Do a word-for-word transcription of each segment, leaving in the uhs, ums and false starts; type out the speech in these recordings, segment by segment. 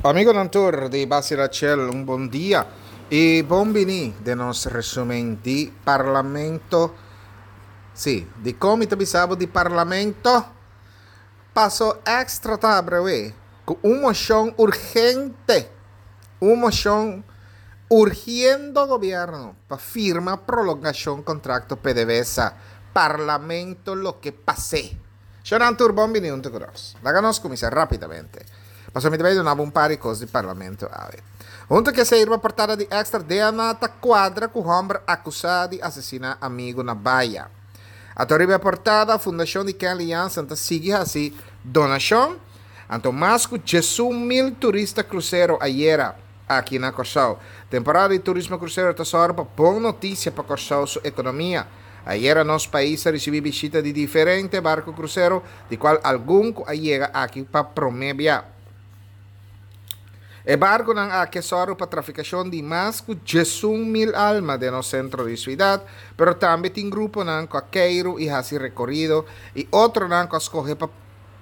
Amigonan tur di Basila Chel, un bon dia y bon bini den nos resumen di Parlamento. Sí, di con mi ta bisa bo di Parlamento? Paso Extra ta habri cu un mocion urgente, un mocion urgiendo gobierno pa firma prolongacion contrato P D V S A. Parlamento loke pase. Shonan tur, bon bini hunto cu nos. Laga nos cuminsa rapidamente. Paso mi ta bay duna un par di cos di Parlamento awe. Hunto cu esey, portada di Extra, D N A ta cuadra cu homber acusa di asesina amigo na Bahia. Anto riba portada, Fundacion di Kenley Jansen ta sigui haci donacion. Anto mas cu diesun mil turista crucero ayera aki na Corsou. Temporada di turismo crucero ta pa bon noticia pa Corsou su economia. Ayera nos pais a ricibi bishita di diferente barco crucero, di cual algun a yega aki pa prome bia. E barconan aki a sòru pa traficacion di mas cu diesun mil alma den nos centro di ciudad, pero tambe tin gruponan cu a keiro y haci recorido y otronan cu a scoge pa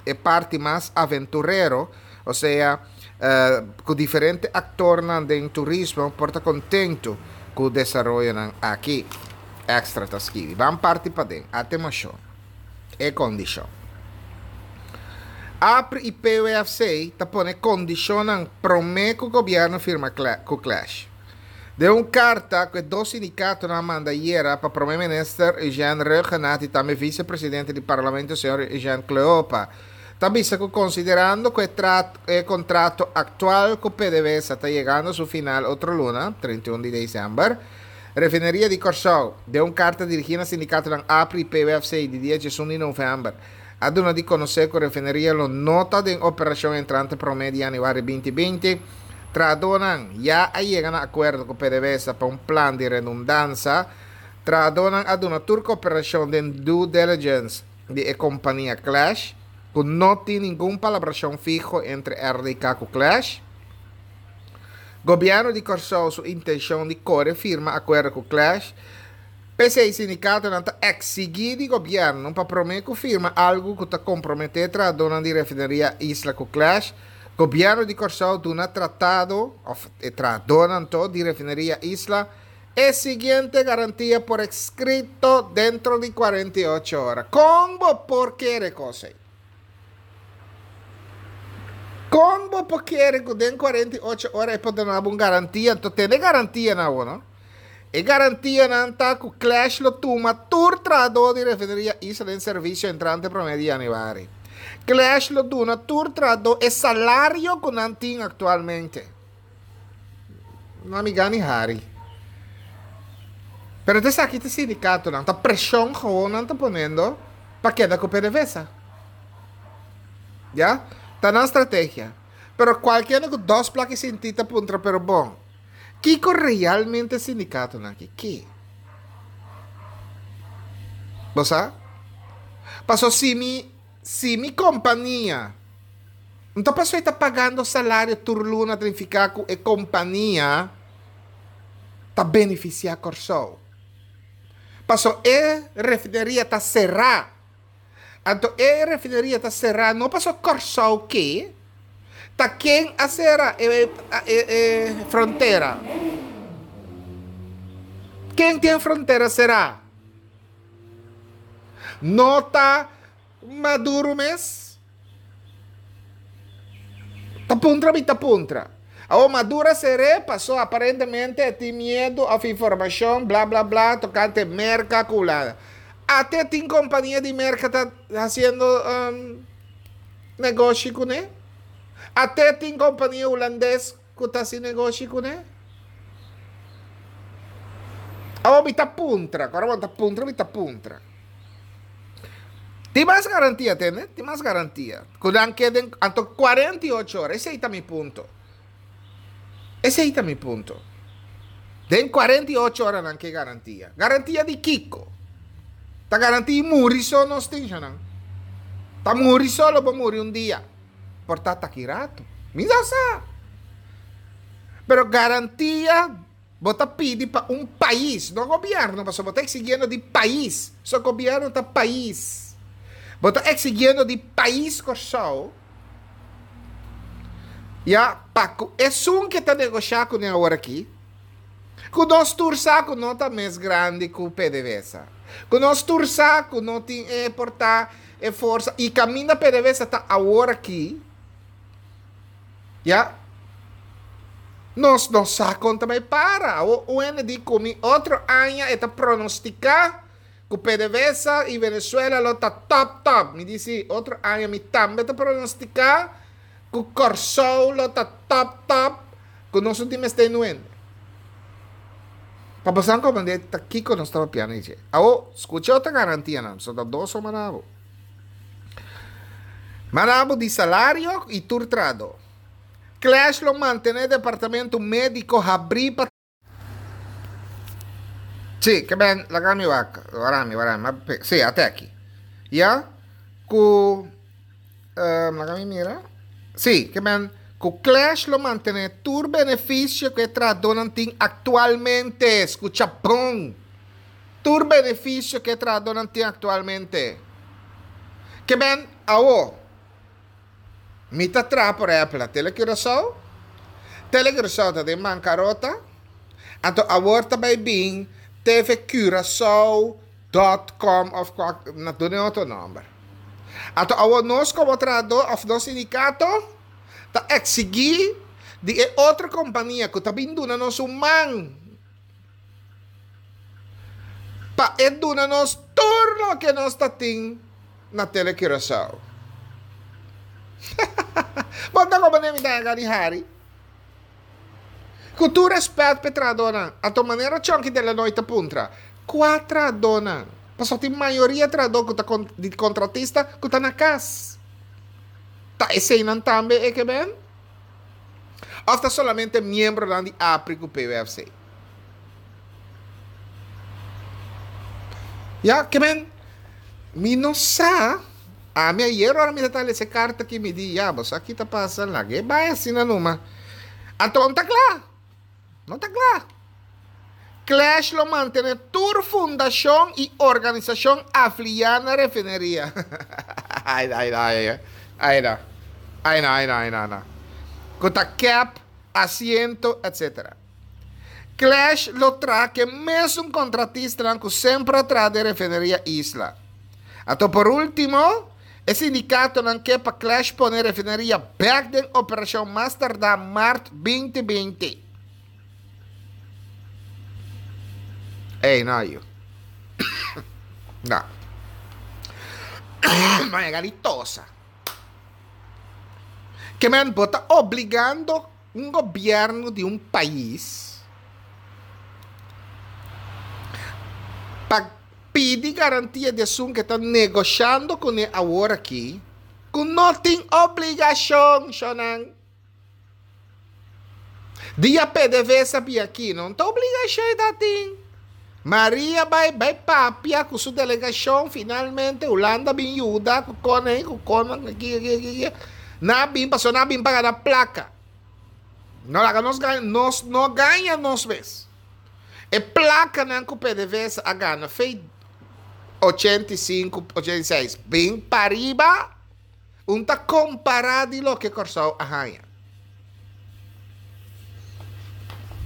e parti mas aventurero, osea, uh, cu diferente actornan di turismo por ta contento cu e desaroyo aki. Extra ta skirbi. Ban parti paden. Atencion. E condicion. APRI y P W F C ta pone condicion prome cu gobierno firma cu Klesch. Den un carta cu dos sindicato a manda ayera pa Prome Minister Eugene Rhuggenaath y tambe Vice-Presidente di Parlamento, señor Eugene Cleopa, tambe cu considerando cu e contrato actual cu P D V S A ta yegando na su final otro luna, trinta i un di december, Refineria di Corsou, den un carta dirigi na sindicato APRI y P W F C di dia diesun di november, a duna di conoce cu e refineria lo no ta den operacion entrante prome di januari dos mil binti. Trahadornan ya a yega na acuerdo cu P D V S A pa un plan di redundancia. Trahadornan a duna tur cooperacion di due diligence di e compania Klesch, cu no tin ningun palabracion fiho entre R D K cu Klesch. Gobierno di Corsou su intencion di core firma acuerdo cu Klesch. P'esey sindicatonan ta exigi di gobierno pa prome cu firma algo cu ta compromete trahadornan di Refineria Isla cu Klesch. Gobierno di Corsou duna trahado, of trahadornan di Refineria Isla, e siguiente garantia por escrito dentro di cuarenta y ocho ora. Con por kere cos? Con por kere cu den cuarenta y ocho ora e por duna un garantia? Anto, tin garantia na, no? E garantianan ta cu Klesch lo tuma tur trahado di Refineria Isla den servicio entrante prome di januari. Klesch lo duna tur trahado e salario cu nan tin actualmente. No mi gani hari. Pero esaki ta sindicatonan ta presion gewoon nan ta poniendo pa keda cu P D V S A. Ya? Ta na estrategia. Pero cualkier cu dos placa sinti ta puntra, pero bon. Kico realmente sindicatonan aki? Ki? Bo sa? Paso si mi si mi compania anto paso ta pagando salario tur luna, significa cu e compania ta beneficia Corsou. Paso e refineria ta sera. Anto e refineria ta sera, no paso Corsou ke ta ken a sera e, e, e frontera. Ken tin frontera sera? No ta Maduro mes? Ta puntra mi ta puntra. O Maduro ser'e paso aparentemente tin miedo of informacion, bla bla bla, tocante Merca culada. Ate tin compania di Merca ta haciendo um, negoshi cune? Ate tin compania hulandes cu ta haciendo negoshi cune? Awo mi ta puntra, awor mi ta puntra, mi ta puntra. Tin mas garantia, tende? Tin mas garantia. Cu nan keden anto cuarenta y ocho ora, esey ta mi punto. Esey ta mi punto. Den cuarenta y ocho ora nan ke garantia. Garantia di kico? Ta garantia muri so nos tin nan. Ta muri solo bo muri un dia. Por ta taki rato. Mi sa. Pero garantia bo ta pidi pa un pais, no gobierno, paso bo ta exigiendo di pais. So gobierno ta pais. Bo ta exigiendo di pais Corsou. Ya, pa ku esun ku ta negoshá kuné awor aki, ku nos tur sa ku no ta mes grandi ku P D V S A. Ku nos tur sa ku no tin e porta e forsa i kaminda P D V S A ta awor aki. Ya, nos no sa kon ta bai para. O U N di ku mi otro aña e ta pronostiká ku P D V S A i Venezuela lo ta top top. Mi di, otro aña mi tambe ta pronostiká ku Kòrsou lo ta top top, ku nos no tin mester nuende. Pa pasar como de ta kiko nos estaba piano dice. Awo, skucha otro garantia nan, so ta dos o manabo. Manabo di salario i tur trahadó. Klesch lo mantené departamento médiko habrí pa. Sí, ke ben, laga mi wak, warami, warami, sí, ata aki. Ya, ku, um, laga mi mira. Sí, ke men, ku Klesch lo mantené tur benefisio ku e trahadónan tin aktualmente. Skucha bon. Tur benefisio ku e trahadónan tin aktualmente. Ke men, awo, mi ta traha, por ehèmpel, na Telecuraçao. Telecuraçao ta den bankarota. Anto awor ta bai bin T V Curaçao punto com òf na duna otro nòmber. Anto awor nos komo trahadó òf nos sindikato ta eksigí di e otro kompania ku ta bin duna nos un man pa e duna nos tur loke nos ta tin na Telecuraçao. Bota komo ne mi ta gani hari. Ku tur rèspèt pa e trahadónan. Anto manera Chonky de la Noite puntra. Kua trahadónan? Paso tin mayoria trahadó ku ta di kontratista ku ta na kas. Ta eseinan tambe e ke ben? Òf ta solamente miembronan di APRI ku P W F C? Ya, ke men, mi no sa. Ami ayera ora mi ta lesa e karta aki mi di, ya, bo sa ki ta pasa, lag'é bai asina numa. Anto no ta kla. No ta kla. Klesch lo mantené tur fundashon i organisashon afiliá na refineria. Ai, ai, ai, ai, no. Ai, no, ai, no, ai, no, no. Ku ta K E P, Asiento, et cetera. Klesch lo traha ku e mesun kontratistanan ku semper a traha den refineria Isla. Anto por último, e sindikatonan ke pa Klesch pone refineria bèk den operashon mas tardá mart dos mil binti. Ei, no, yo. No. Ma e tosa. Ke men bo ta obligando un gobièrnu di un pais pa pidi garantia di esun ku ta negoshando kuné awor aki, ku no tin obligashon, shonan. Dia P D V S A bin aki, no ta obligashon ta tin. Maria bai bai papia ku su delegashon, finalmente Hulanda bin yuda ku kone ku kone aki aki aki. Nan bin pasó nan bin pa gana plaka. No laga nos gana, nos no gana nos mes. E plakanan ku P D V S A a gana for di ochenta i sinku, ochenta i seis, bin pariba, un ta kompará di loke Kòrsou a haña.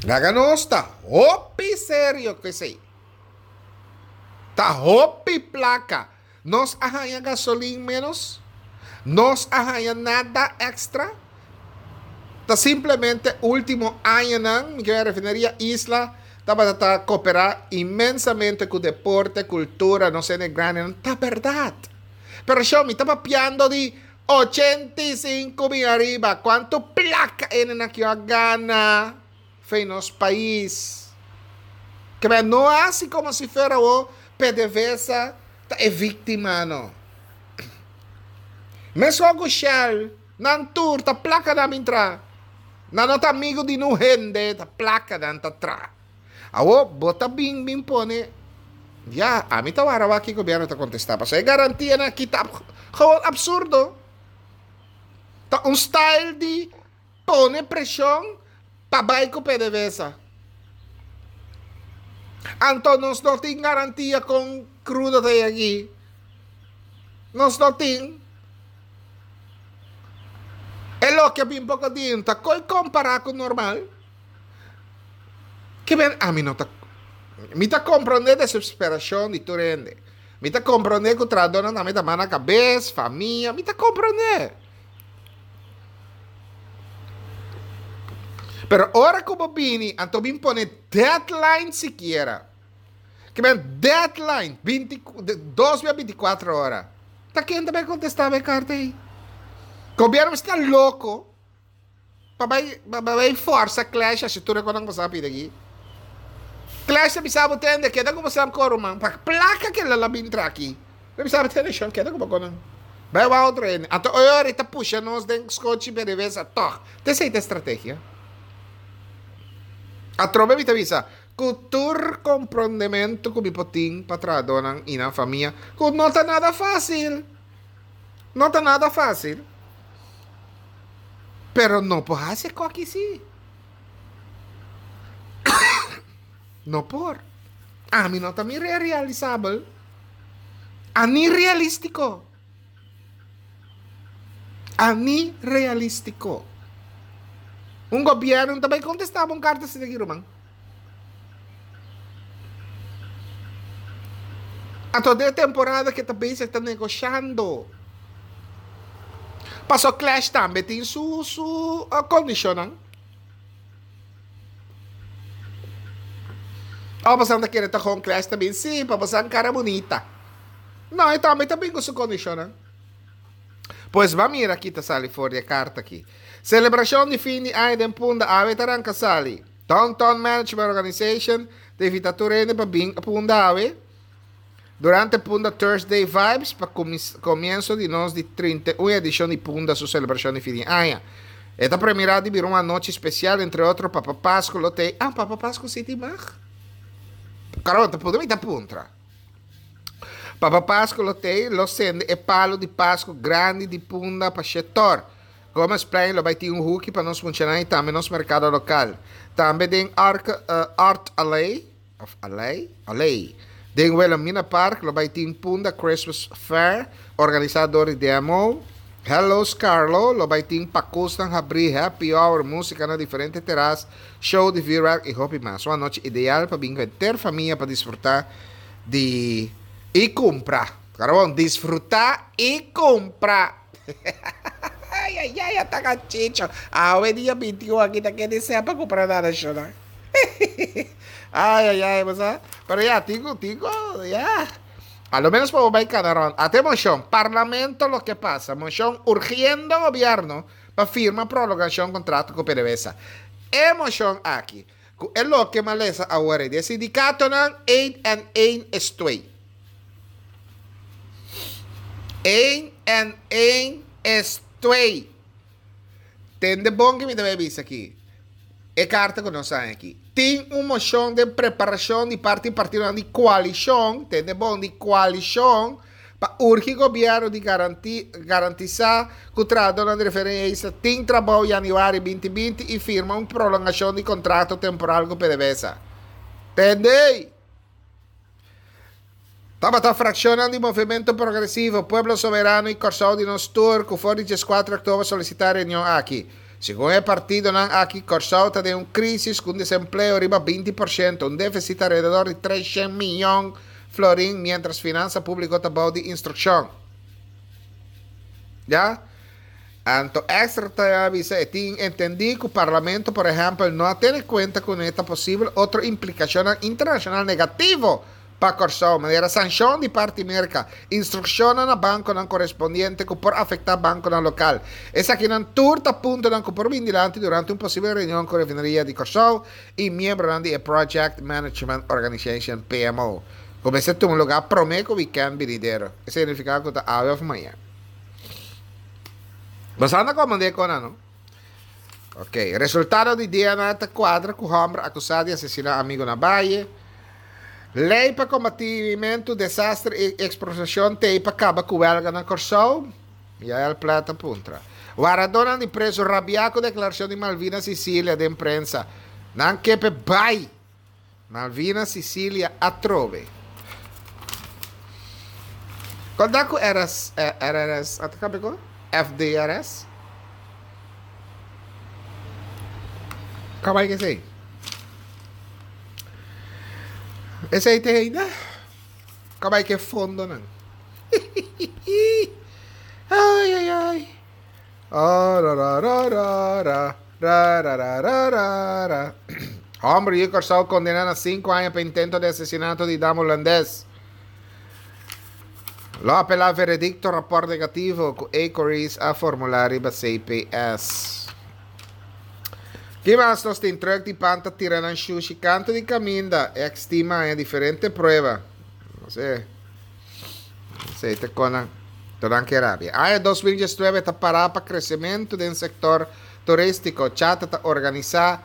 Laga nos ta hopi serio ku esei. Ta hopi plaka. Nos a haña gasolin menos. Nos a haña nada èkstra. Ta simplemente último añanan, ku refineria Isla tabata ta kooperá inmensamente ku deporte, kultura, no sé, grandi, ta berdat. Pero yo mi ta papiando di ochenta i sinku mil ariba. Kuantu plaka nan aki a gana for di nos pais? Ke no asina komo si fuera o P D V S A ta e víktima, no. Mesun ku Shell, nan tur ta plaka nan entra. Nan no ta amigu di ningun hende, ta plaka nan ta tra. Awo, bo ta bin bin pone. Ya, ami ta wara ku gobièrnu ta kontestá. Paso e garantianan aki ta gewoon apsurdo. Ta un style di pone preshon pa bai ku P D V S A. Anto nos no tin garantia ku krudo ta aki. Nos no tin. E loke a bin poko dia no ta koi kompará ku normal. Ke men ami no ta mi ta komprondé desesperashon di tur hende. Mi ta komprondé ku trahadónan tambe ta man na kabes, famia, mi ta komprondé. Pero ora ku bo bini anto bin pone deadline sikiera. Ke men deadline binti dos bia binti kuater ora. Ta ken ta bai kontestá bo e karta ei? Gobierno mester ta loko pa bai pa bai forsa Clash hasi tur e konan ku bo sa pidi aki. Clash ta bisa bo tende keda ku bo sa koro man pa plaka ke lo bin tra aki. Ta bisa bo tende shon keda ku bo konan. Bai wak otro hende. Anto oy ora e ta pusha nos den skochi P D V S A tog. Ta esei ta e strategia. Atrobe mi ta bisa ku tur komprondementu ku mi por tin pa trahadónan i nan famia ku no ta nada fásil. No ta nada fásil. Pero no por hasi e koki sí. No por. Ami no ta mira e realisabel. Ani realístiko. Ani realístiko. Un gobièrnu no ta bai kontestá bo un karta asina aki, ruman. Anto den e temporada ke ta bezig ta negoshando. Paso Clash tambe tin su su kondishonnan. Oh, bosan ta kere ta gewoon Clash ta bin? Sí, pa bosan kara bunita. No, e tambe ta bin ku su kondishonnan. Pues ba mira ki ta sali for di e karta aki. Selebrashon di fin di aña den Punda awe ta ranka sali. Downtown Management Organization ta invita tur hende pa bin Punda awe durante Punda Thursday Vibes pa comienso di nos di trinta i un edicion di Punda su celebracion di fin di aña. E ta premira di bira un anochi special, entre otro Papa Pascu lo t'ey. Ah, Papa Pascu si tin mag? Caramba, ta puntra mi ta puntra. Papa Pascu lo t'ey, lo sende e palo di Pascu grandi di Punda pa Shetor. Gomezplein lo bai tin un huki pa nos muchanan y tambe nos mercado local. Tambe den Art Alley, of Alley? Alley, den Wilhelmina Park lo bai tin Punda Christmas Fair organisa door di D M O. Hello Scarlo lo bai tin pakusnan habri, happy hour, musica na diferente terras, show di vuurwerk y hopi mas. Un anochi ideal pa bin cu henter famia pa disfruta di y cumpra. Carbon, disfruta y cumpra! Ay, ay, ay, ata cachicho. Awe dia binti un aki ta kende sea pa cumpra nada, shona. Ay, ay, ay, basta. Pero ya, tigo, tigo, ya. A lo menos pa bai cana rond. Ate mocion, Parlamento lo que pasa. Mocion urgiendo gobierno pa firma prolongacion contrato cu P D V S A. E mocion aki. Cu e loke m'a lesa awor. E sindicatonan un en un is twee. un en un is twee. Tende bon cu mi ta bisa aki. E carta cu nos tin aki. Tin un mocion di preparacion di parti partido di coalicion, tende bon, di coalicion, pa urgi gobierno di garanti, garantisa cu trahador di referencia tin trabou januari dos mil binti y firma un prolongacion di contrato temporal cu P D V S A. Tende? Tabata fraccion di Movimento Progresivo, Pueblo Soberano y Corsou di Nos Tur, cu for di diescuater october solicita reunion aki. Segun e partidonan aki, Corsou ta den un crisis cu desempleo riba binti porciento, un deficit alrededor di trescientos miyon florin, mientras finansa publico ta bou di instruccion. Ya? Anto extra ta avisa e tin entendi cu Parlamento, por ehempel, no a tene cuenta cu e posibel otro implicacion internacional negativo pa Corsou, manera sancion di parti Merca, instruccion na banconan corespondiente cu por afecta banconan local. Esakinan tur ta puntonan cu por bin dilanti durante un posibel reunion cu refineria di Corsou y miembro di Project Management Organization, P M O. Cuminsa tuma luga prome cu weekend binidero. Esey ta significa cu ta awe of mañan. Mas anda como de cona, no? Ok, resultado di D N A ta cuadra cu homber acusa di asesina amigo na Valle. Ley pa combatimento, desastre y expropiacion t'ey pa caba cu huelga na Corsou. Yael Plata puntra. Wardadornan di preso rabia cu declaracion di Malvina Cecilia den prensa. Nan ke p'e bai. Malvina Cecilia atrobe. Cuando cu R S, R R S, ata F D R S? Kaba ku esei? Esei te ainda? Kaba ku fondonan? Ai, ai, ai. Oh, ra, ra, ra, ra, ra, ra, ra, ra, ra, ra, ra. Hòmber di Kòrsou kondená na sinku aña pa intento di asesinato di dama hulandes. Lo apelá veredikto rapòrt negativo ku Ecorys a formulá riba C P S. Ki mas nos tin? Truck di pan ta tira nan shushi kantu di kaminda. Estima e diferente prueba. No sé. No sé, te kona. Todan ke rabia. Aña dos mil diesnuebe ta pará pa kresementu den sektor turístiko. CHATA ta organisá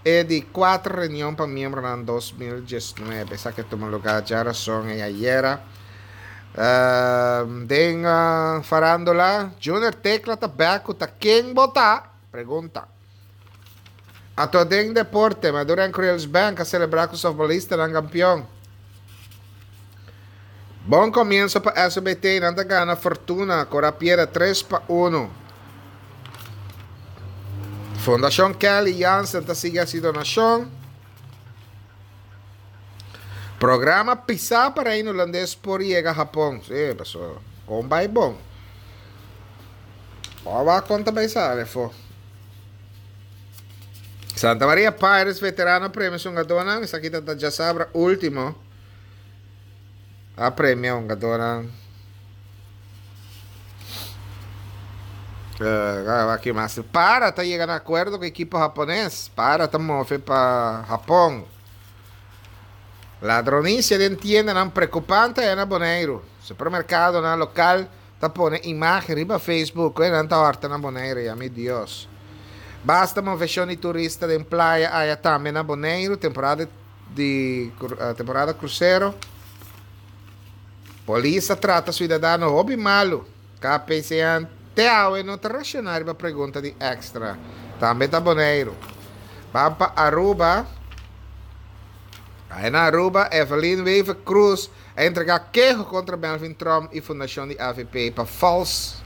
e di kuater reunion pa miembro na dos mil diesnuebe. Esaki a tuma lugá djárason i ayera. Uh, den uh, farándula, Junior Tecla ta bèk, ta ken bo ta? Pregunta. Ato den deporte, Madura Creoles Bank a selebrá ku softbolistanan kampeon. Bon komienso pa S B T, nan ta gana Fortuna, Cora Piera tres pa un. Fundashon Kelly Jansen ta sigui hasi donashon. Programa pisá pa Reino Hulandes por yega Hapon. Si, pasó. Kon bai bon. Ora konta bai sale, fo. Santa Maria Pirates veterano premia su hungadónan. Esaki ta djasabra último. A premia hungadónan. Uh, aki mas. Para ta yega na akuerdo ku ekipo hapones. Para ta move pa Hapon. Ladronisia den tiendanan preokupante na Boneiru. Supermerkadonan lokal ta pone imágen riba Facebook. Nan ta hòrta na Boneiru, ya mi Dios. Basta moveshon di turista den playa aya tambe na Boneiru, temporada di uh, temporada krusero. Polis a trata siudadano hopi malu. K P C N te awe no ta reakshoná riba pregunta di Extra. Tambe ta Boneiru. Ban pa Aruba. Ei na Aruba, Evelyn Wever Cruz a entregá keho kontra Melvin Trump i Fundashon di A V P pa vals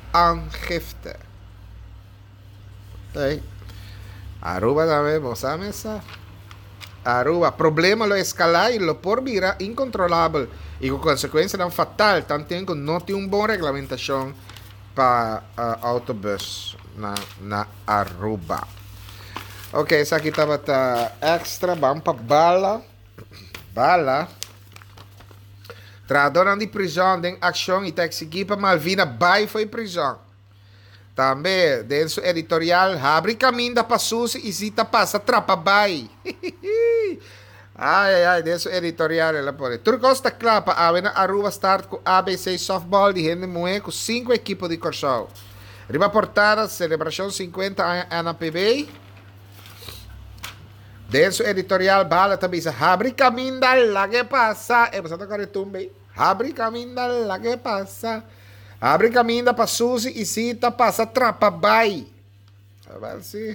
aangifte. Ei. Aruba tambe, bo sa? Aruba, problema lo eskalá i lo por bira inkontrolabel i ku konsekuensianan fatal, tantu ku no tin un bon reglamentashon pa uh, autobùs na, na Aruba. Ok, esaki tabata Extra, ban pa Bala. Bala. Trahadónan di prizòn den akshon i ta eksigí pa Malvina bai for di prizòn. Tambe, den su editorial, habri kaminda pa Susi i Zita pasa trapa bai. Ai, ai, ai, den su editorial el a pone. Tur kos ta kla pa awe na Aruba start ku A B C Softball di hende muhé ku sinku ekipo di Kòrsou. Riba portada, selebrashon sinkuenta aña N A P B. Den su editorial, Bala ta bisa, habri kaminda lag'é pasa. E, bo ta kore tumbe. Habri kaminda lag'é pasa. Habri kaminda pa Susi i Zita pasa trapa bai. Awèl si.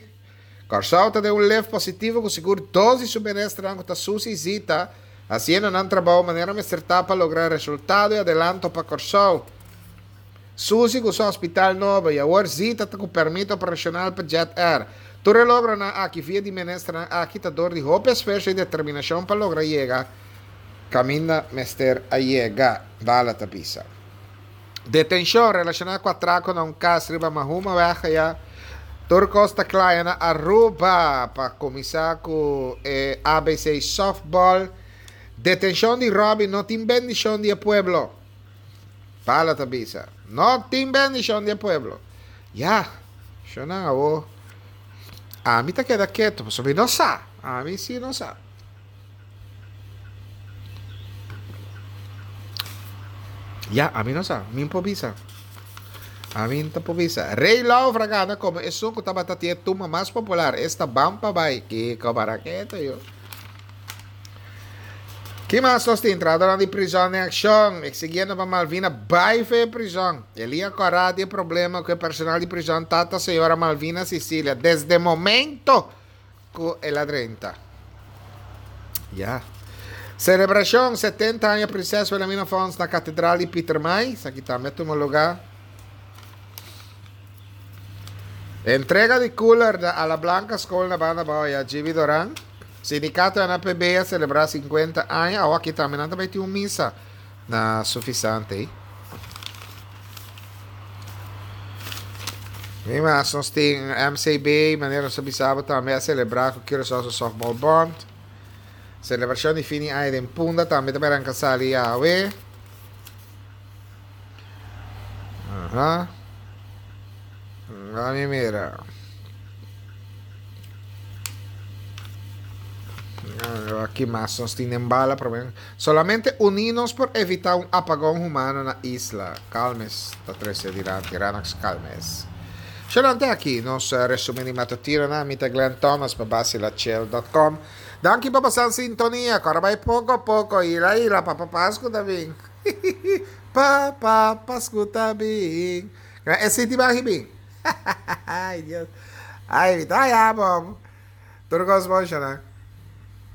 Kòrsou ta den un lift positivo ku sigur dos di su ministernan ku ta Susi i Zita, hasiendo nan trabou manera mester ta pa logra resultado i adelanto pa Kòrsou. Susi ku su hospital nobo i awor Zita ku pèrmit operashonal pa Jet Air. Tur e logronan aki via di ministernan aki ta dor di hopi esfuerso i determinashon pa logra yega kaminda mester a yega. Bala ta bisa. Detenshon relashoná ku atrako na un kas riba Mahuma Weg ya. Tur kos ta kla na Aruba pa kuminsá ku eh, A B C Softball. Detenshon di Robin no tin bendishon di pueblo. Bala ta bisa. No tin bendishon di pueblo. Ya, shona awo. Ami ta keda ketu, pasobra mi no sa. Ami si no sa. Ya, ami no sa. Mi por bisa. Ami no por bisa. Rey Laufra a gana komo esun ku tabata tin e tumba mas popular. Esta Ban Pa Bai. Kiko para ketu yo. Ki mas nos tin? Trahadónan di prizòn den akshon, eksigiendo pa Malvina bai for di prizòn. Elia Corá tin problema ku e personal di prizòn tata señora Malvina Cecilia desde momento ku el a drenta. Ya. Selebrashon setenta aña Prinses Wilhelmina Fonds na Katedral di Pietermaai. Esaki tambe a tuma lugá. Entrega di cooler na Ala Blanca School na Banda Abou ya Gibi Doran. Sindicato N A P B a celebra cincuenta aña. Awo aki tambe nan tambe tin un misa na Suffisant. Mi mas nos tin M C B, manera nos bisa bo tambe a celebra cu Curaçao Softball Bond. Celebracion di fin di aña den Punda tambe tambe arranca sali awe. Aha. Lami mira. Aki mas nos tin den bala problem. Solamente uninos por evita un apagón humano na isla. Calmes ta trece dilanti. Ranax Calmes. Xelante aki nos resumen di matutino na mi ta Glenn Thomas pa Basilachill punto com. Danki pa pasa sintonia. Awor bay poco poco. Ila ila papa Pasco ta bin. Papa Pasco ta bin. E ti ba bin. Ay, Dios. Ay, ta ya, bom. Tur cos bon, xana.